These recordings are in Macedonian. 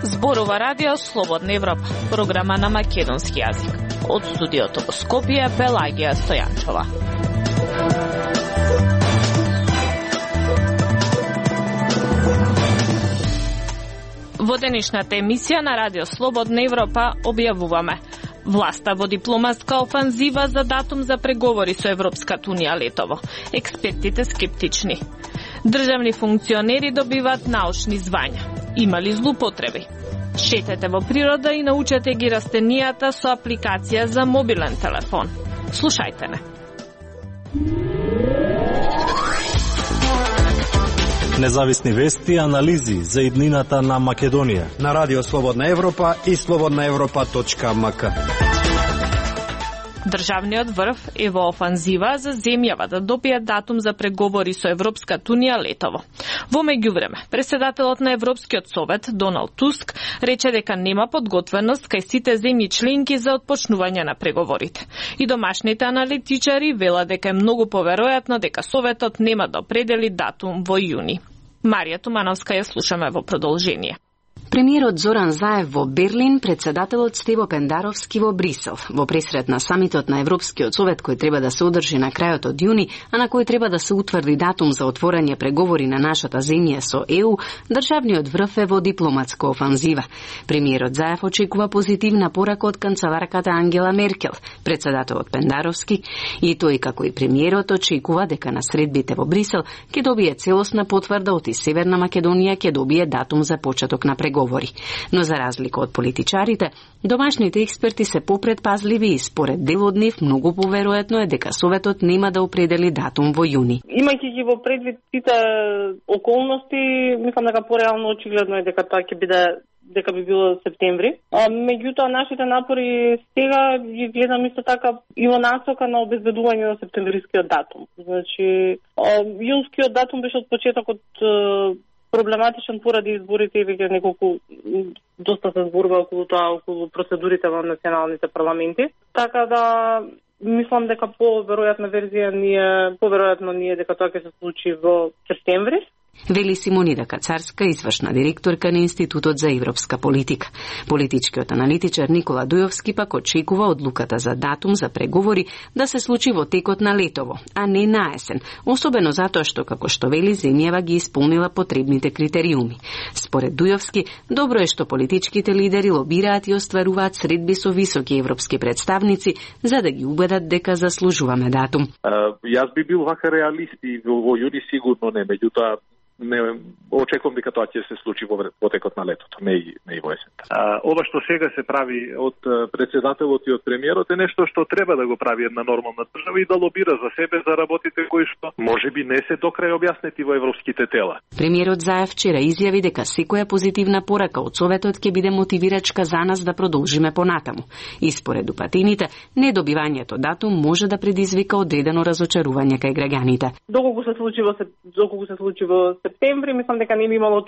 Зборува радио Слободна Европа, програма на македонски јазик. Од студиото во Скопје, Пелагија Стојанчова. Во денешната емисија на радио Слободна Европа објавуваме: власта во дипломатска офанзива за датум за преговори со Европската унија летово. Експертите скептични. Државни функционери добиваат научни звања. Има ли злоупотреби? Шетете во природа и научете ги растенијата со апликација за мобилен телефон. Слушајте не. Независни вести и анализи за иднината на Македонија на радио Слободна Европа и slobodnaevropa.mk. Државниот врв е во офанзива за земјава да добие датум за преговори со Европската унија летово. Во меѓувреме, председателот на Европскиот совет Доналд Туск рече дека нема подготвеност кај сите земји членки за отпочнување на преговорите. И домашните аналитичари велат дека е многу поверојатно дека советот нема да определи датум во јуни. Марија Тумановска ја слушаме во продолжение. Премиерот Зоран Заев во Берлин, председателот Стево Пендаровски во Брисел. Во пресрет на самитот на Европскиот совет кој треба да се одржи на крајот од јуни, а на кој треба да се утврди датум за отворање преговори на нашата земја со ЕУ, државниот врв е во дипломатска офанзива. Премиерот Заев очекува позитивна порака од канцеларката Ангела Меркел, председателот Пендаровски, и тој како и премиерот очекува дека на средбите во Брисел ќе добие целосна потврда од и Северна Македонија ќе добие датум за почеток на преговори. Но за разлика од политичарите, домашните експерти се попредпазливи и според дел од нив многу поверојатно е дека советот нема да определи датум во јуни. Имајќи ги во предвид сите околности, мислам дека пореално очигледно е дека тоа ќе биде дека би било септември. Меѓутоа нашите напори сега ги гледам исто така и во насока на обезбедување на септемврискиот датум. Значи, јунскиот датум беше од почетокот проблематичен поради изборите и веќе неколку доста се зборува околу тоа, околу процедурите во националните парламенти. Така да мислам дека поверојатна верзија ние дека тоа ќе се случи во септември. Вели Симонида Кацарска, извршна директорка на Институтот за европска политика. Политичкиот аналитичар Никола Дујовски пак очекува одлуката за датум за преговори да се случи во текот на летово, а не на есен, особено затоа што, како што вели, земјава ги исполнила потребните критериуми. Според Дујовски, добро е што политичките лидери лобираат и остваруваат средби со високи европски представници за да ги убедат дека заслужуваме датум. Јас би бил вака реалист и во јуни сигурно не, меѓутоа не очекувам дека тоа ќе се случи во текот на летото, не и во есента. Ова што сега се прави од председателот и од премиерот е нешто што треба да го прави една нормална држава и да лобира за себе за работите кои што можеби не се до крај објаснети во европските тела. Премиерот Заев вчера изјави дека секоја позитивна порака од советот ќе биде мотивирачка за нас да продолжиме понатаму. И според упатените, недобивањето датум може да предизвика одредено разочарување кај граѓаните. Доколку се случи во септември, мислам дека не би имало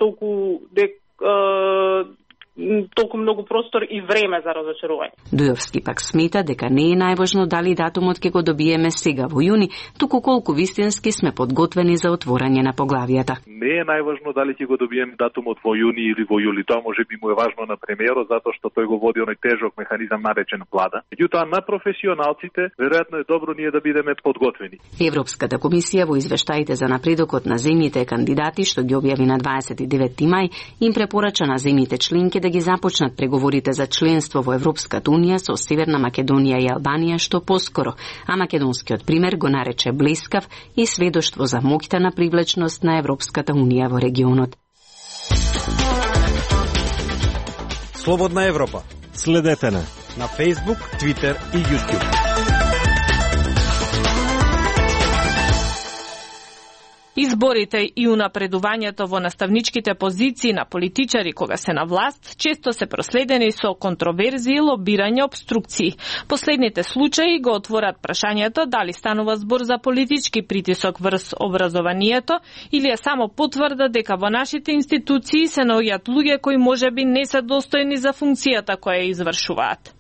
толку многу простор и време за разочарување. Дујовски пак смета дека не е најважно дали датумот ќе го добиеме сега во јуни, туку колку вистински сме подготвени за отворање на поглавијата. Не е најважно дали ќе го добиеме датумот во јуни или во јули. Тоа можеби му е важно на премиерот затоа што тој го води оној тежок механизам наречен влада. Меѓутоа на професионалците веројатно е добро ние да бидеме подготвени. Европската комисија во извештаите за напредокот на земјите кандидати што ги објави на 29 мај им препорача на земјите членки да ги започнат преговорите за членство во Европската унија со Северна Македонија и Албанија што поскоро, а македонскиот пример го нарече блескав и сведоштво за моќта на привлечност на Европската унија во регионот. Слободна Европа. Следете на Facebook, Twitter и YouTube. Изборите и унапредувањето во наставничките позиции на политичари кога се на власт често се проследени со контроверзии, лобирање, обструкции. Последните случаи го отворат прашањето дали станува збор за политички притисок врз образованието или е само потврда дека во нашите институции се наоѓаат луѓе кои можеби не се достојни за функцијата која ја извршуваат.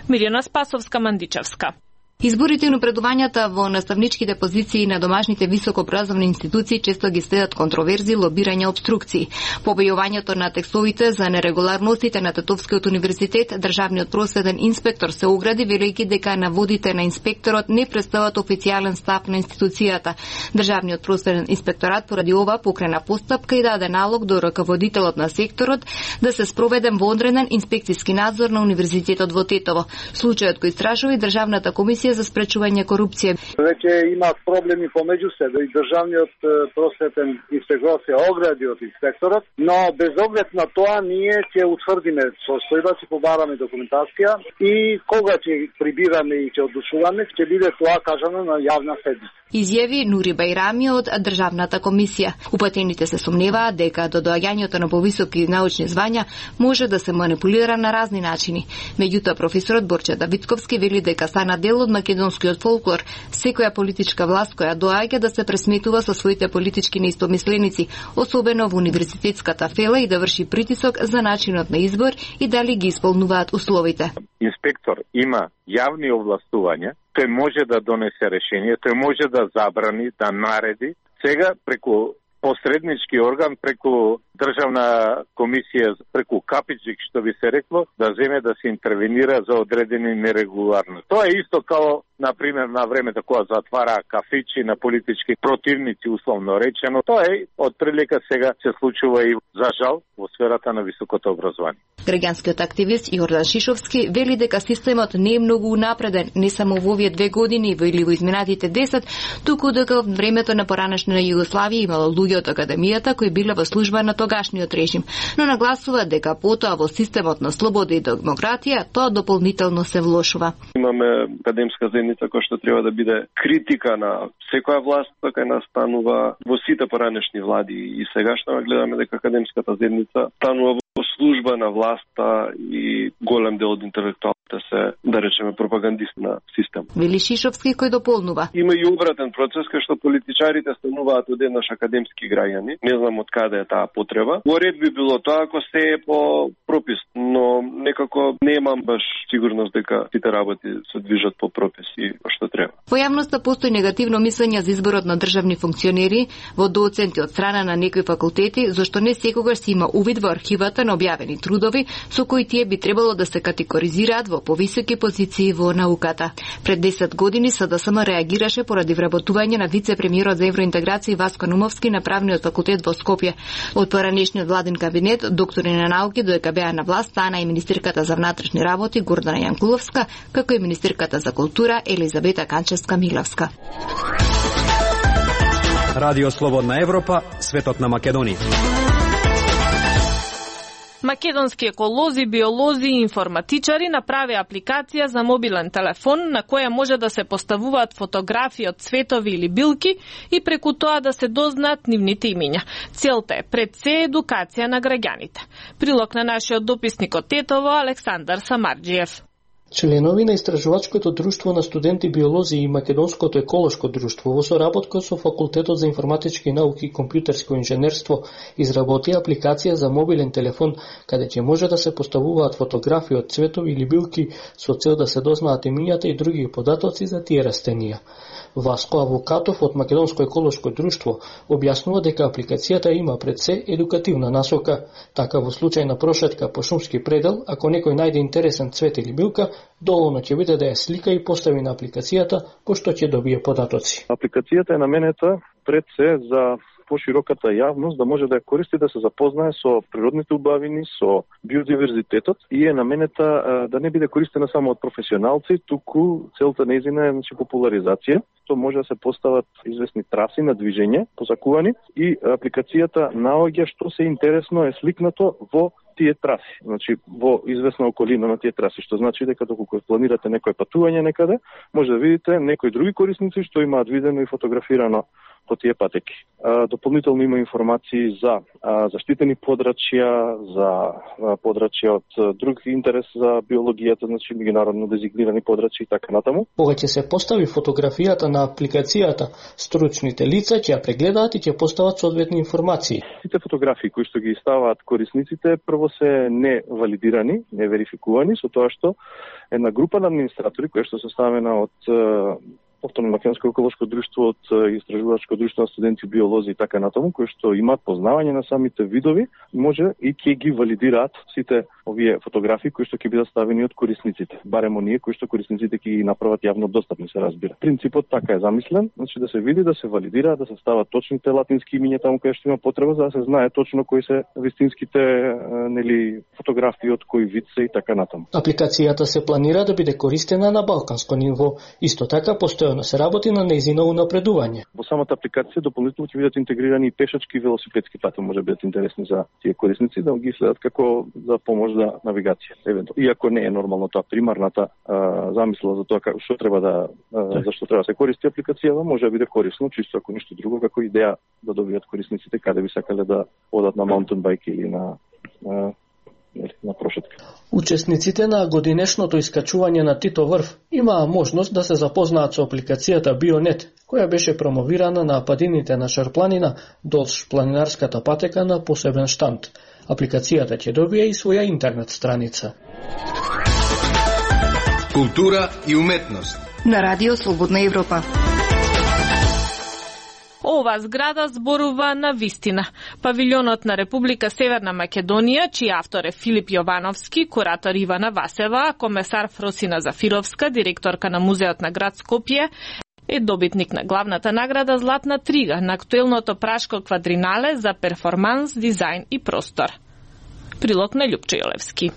Мирјана Спасовска, Мандичевска. Изборите и напредувањата во наставничките позиции на домашните високообразовни институции често ги следат контроверзи, лобирање, обструкции. По објавувањето на текстовите за нерегуларностите на Тетовскиот универзитет, државниот просветен инспектор се огради велејќи дека наводите на инспекторот не представат официјален став на институцијата. Државниот просветен инспекторат поради ова покрена постапка и даде налог до раководителот на секторот да се спроведе вонреден инспекцијски надзор на универзитетот во Тетово. Случајот кој истражува и државната комисија за спречување корупција. Веќе има проблеми помеѓу себе и државниот просветен инспекторат се огради од инспекторот, но без оглед на тоа ние ќе утврдиме состојба, ќе побараме документација и кога ќе прибираме и ќе одлучуваме, ќе биде тоа кажано на јавна седница. Изјави Нури Бајрами од државната комисија. Упатените се сомневаат дека до доаѓањето на повисоки научни звања може да се манипулира на разни начини. Меѓутоа професорот Борче Давидковски вели дека стана дел од македонскиот фолклор, секоја политичка власт која доаѓа да се пресметува со своите политички неистомисленици, особено во универзитетската фела и да врши притисок за начинот на избор и дали ги исполнуваат условите. Инспектор има јавни овластувања, тој може да донесе решение, тој може да забрани, да нареди. Сега преку посреднички орган, преку државна комисија, преку капичик, што би се рекло, да земе да се интервенира за одредени нерегуларности. Тоа е исто као, например, на времето кога затвара кафичи на политички противници, условно речено. Тоа е од прилика сега се случува и, за жал, во сферата на високото образование. Граѓанскиот активист Јордан Шишовски вели дека системот не е многу унапреден, не само во овие 2 години или во изминатите 10, туку дека во времето на поранешна Југославија имало луѓе од академијата кои биле во служба на тогашниот режим, но нагласува дека потоа во системот на слобода и демократија тоа дополнително се влошува. Имаме академска заедница која што треба да биде критика на секоја власт, така и настанува во сите поранешни влади и сегашно гледаме дека академската заедница станува во служба на власта и голем дел од интелектуалите се, да речеме, пропагандисти на систем. Вели Шишовски кој дополнува. Има и обратен процес кај што политичарите стануваат одеднаш академски граѓани. Не знам од каде е таа потреба. Во ред би било тоа ако се е по пропис, но некако немам баш сигурност дека сите работи се движат по прописи што треба. Во јавноста постои негативно мислење за изборот на државни функционери во доценти од страна на некои факултети, зашто не секогаш се има увид во архивата на објавени трудови со кои тие би требало да се категоризираат во повисоки позиции во науката. Пред 10 години СДСМ реагираше поради вработување на вице-премиерот за евроинтеграција Васко Нумовски на правниот факултет во Скопје. Од поранешниот владин кабинет, доктори на науки додека беа на власт, стана и министерката за внатрешни работи Гордана Јанкуловска, како и министерката за култура Елизабета Канчевска-Миловска. Радио Слободна Европа, светот на Македонија. Македонски еколози, биолози и информатичари направи апликација за мобилен телефон на која може да се поставуваат фотографии од цветови или билки и преку тоа да се дознаат нивните имиња. Целта е пред се едукација на граѓаните. Прилог на нашиот дописник од Тетово Александар Самарџиев. Членови на Истражувачкото друштво на студенти биолози и Македонското еколошко друштво во соработка со Факултетот за информатички науки и компјутерско инженерство изработија апликација за мобилен телефон каде ќе може да се поставуваат фотографии од цветови или билки со цел да се дознаат имињата и други податоци за тие растенија. Васко Авокатов од Македонско еколошко друштво објаснува дека апликацијата има пред се едукативна насока. Така во случај на прошетка по шумски предел, ако некој најде интересен цвет или билка, доволно ќе биде да ја слика и постави на апликацијата, пошто ќе добие податоци. Апликацијата е наменета пред се за пошироката јавност да може да ја користи да се запознае со природните убавини, со биодиверзитетот и е наменета да не биде користена само од професионалци, туку целта нејзина е популаризација. Тоа може да се постават известни траси на движење, позакувани и апликацијата наоѓа што се интересно е сликнато во тие траси, значи во известна околина на тие траси, што значи дека доколку планирате некој патување некаде, може да видите некои други корисници што имаат видено и фотографирано по тие патеки. Дополнително има информации за заштитени подрачја, за подрачја од друг интерес за биологијата, значи меѓународно дезигнирани подрачја и така натаму. Кога ќе се постави фотографијата на апликацијата, стручните лица ќе ја прегледаат и ќе постават соодветни информации. Сите фотографии кои што ги ставаат корисниците прво се не валидирани, не верификувани, со тоа што една група на администратори која што се составена од Автономно македонско еколошко друштво, од истражувачко друштво на студенти биолози и така натаму, кои што имаат познавање на самите видови, може и ќе ги валидираат сите овие фотографии кои што ќе бидат ставени од корисниците. Барем оние кои што корисниците ќе ги направат јавно достапни, се разбира. Принципот така е замислен, значи да се види, да се валидира, да се стават точните латински имиња таму каде што има потреба, за да се знае точно кои се вистинските фотографии од кој вид се и така натаму. Апликацијата се планира да биде користена на балканско ниво. Исто така постојано се работи на нејзино унапредување. Во самата апликација дополнително ќе бидат интегрирани и пешачки и велосипедски патеки, може бидат интересни за тие корисници да ги следат како за помош за навигација. Иако не е нормално тоа примарната замисла за тоа што треба зашто треба да се користи апликацијата, може да биде корисно чисто ако ништо друго како идеја да добијат корисниците каде би сакале да одат на маунтенбајк или на прошетка. Учесниците на годинешното искачување на Тито врв имаа можност да се запознаат со апликацијата Бионет, која беше промовирана на падините на Шарпланина долж планинарската патека на посебен штанд. Апликацијата ќе добие и своја интернет страница. Култура и уметност на Радио Слободна Европа. Ова зграда зборува на вистина. Павилјонот на Република Северна Македонија, чиј автор е Филип Јовановски, куратор Ивана Васева, комесар Фросина Зафировска, директорка на Музеот на град Скопје, е добитник на главната награда Златна трига на актуелното Пражко квадринале за перформанс, дизајн и простор. Прилог на Љупчо Јолевски.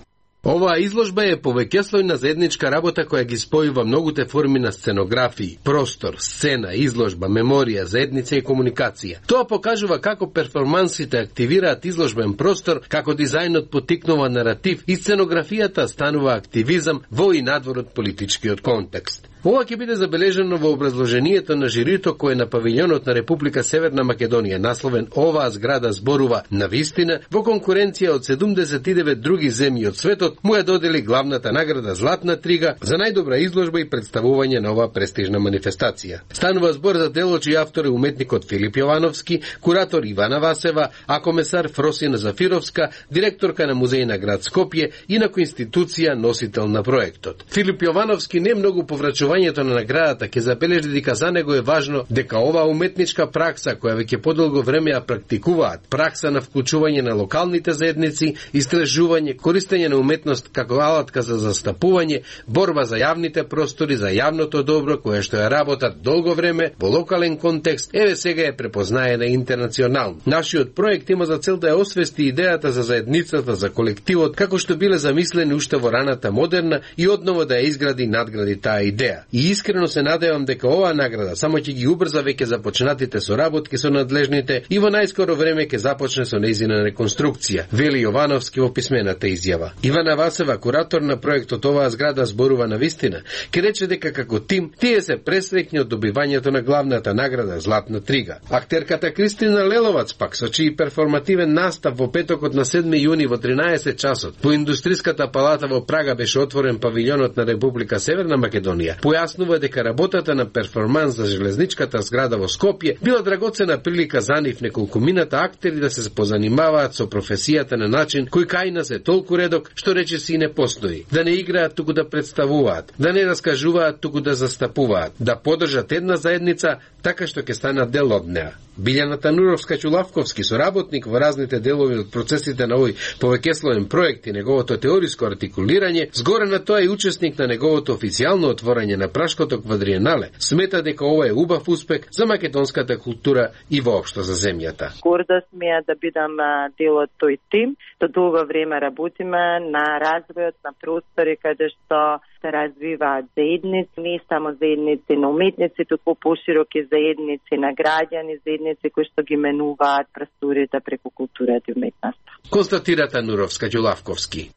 Оваа изложба е повеќеслојна заедничка работа која ги спојува многуте форми на сценографии, простор, сцена, изложба, меморија, заедница и комуникација. Тоа покажува како перформансите активираат изложбен простор, како дизајнот поттикнува наратив и сценографијата станува активизам во и надвор од политичкиот контекст. Ова ќе биде забележено во образложението на жирито кој на павилјонот на Република Северна Македонија насловен "Оваа зграда зборува на вистина", во конкуренција од 79 други земји од светот, му ја додели главната награда Златна трига за најдобра изложба и представување на оваа престижна манифестација. Станува збор за дело чиј автор е уметникот Филип Јовановски, куратор Ивана Васева, а комесар Фросина Зафировска, директорка на Музеј на град Скопје, инаку институција носител на проектот. Филип Јовановски не многу поврачувањето на наградата ќе забележи дека за него е важно дека оваа уметничка пракса која веќе подолго време ја практикуваат, пракса на вклучување на локалните заедници, истражување, користење на уметност како алатка за застапување, борба за јавните простори, за јавното добро, кое што ја работат долго време во локален контекст, еве сега е препознаена интернационално. Нашиот проект има за цел да ја освести идејата за заедницата, за колективот, како што биле замислени уште во раната модерна и одново да ја изгради и надгради таа идеја. И искрено се надевам дека оваа награда само ќе ги убрза веќе започнатите соработки со надлежните и во најскоро време ќе започне со нејзина реконструкција, вели Јовановски во писмената изјава. Ивана Васева, куратор на проектот "Оваа зграда зборува на вистина", ке рече дека како тим тие се пресреќни од добивањето на главната награда Златна трига. Актерката Кристина Леловац пак со чиј перформативен настав во петокот на 7 јуни во 13 часот во Индустријската палата во Прага беше отворен павилјонот на Република Северна Македонија. Појаснува дека работата на перформанс за железничката зграда во Скопје била драгоцена прилика за нив неколкумината актери да се позанимаваат со професијата на начин кој кај нас е толку редок што речиси не постои. Да не играат туку да представуваат, да не раскажуваат туку да застапуваат, да поддржат една заедница така што ќе станат дел од неа. Билјана Тануровска-Чулавковски, соработник во разните делови од процесите на овој повеќесловен проект и неговото теориско артикулирање, згоре на тоа и учесник на неговото официјално отворање на Пражкото квадриенале, смета дека ова е убав успех за македонската култура и воопшто за земјата. Горда сме да бидам дел од тој тим, што долго време работиме на развојот на простори каде што се развиваат заедници, не само заедници на уметници, туку пошироки заедници на граѓани, заедници кои што ги менуваат просторите преку културата и уметноста. Констатира Тануровска-Ѓулавковски.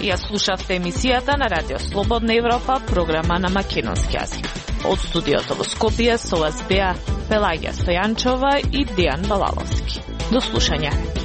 Ја слушавте емисијата на Радио Слободна Европа, програма на македонски јазик. Од студиото во Скопје со вас беа Пелагија Стојанчова и Дејан Балаловски. До слушање.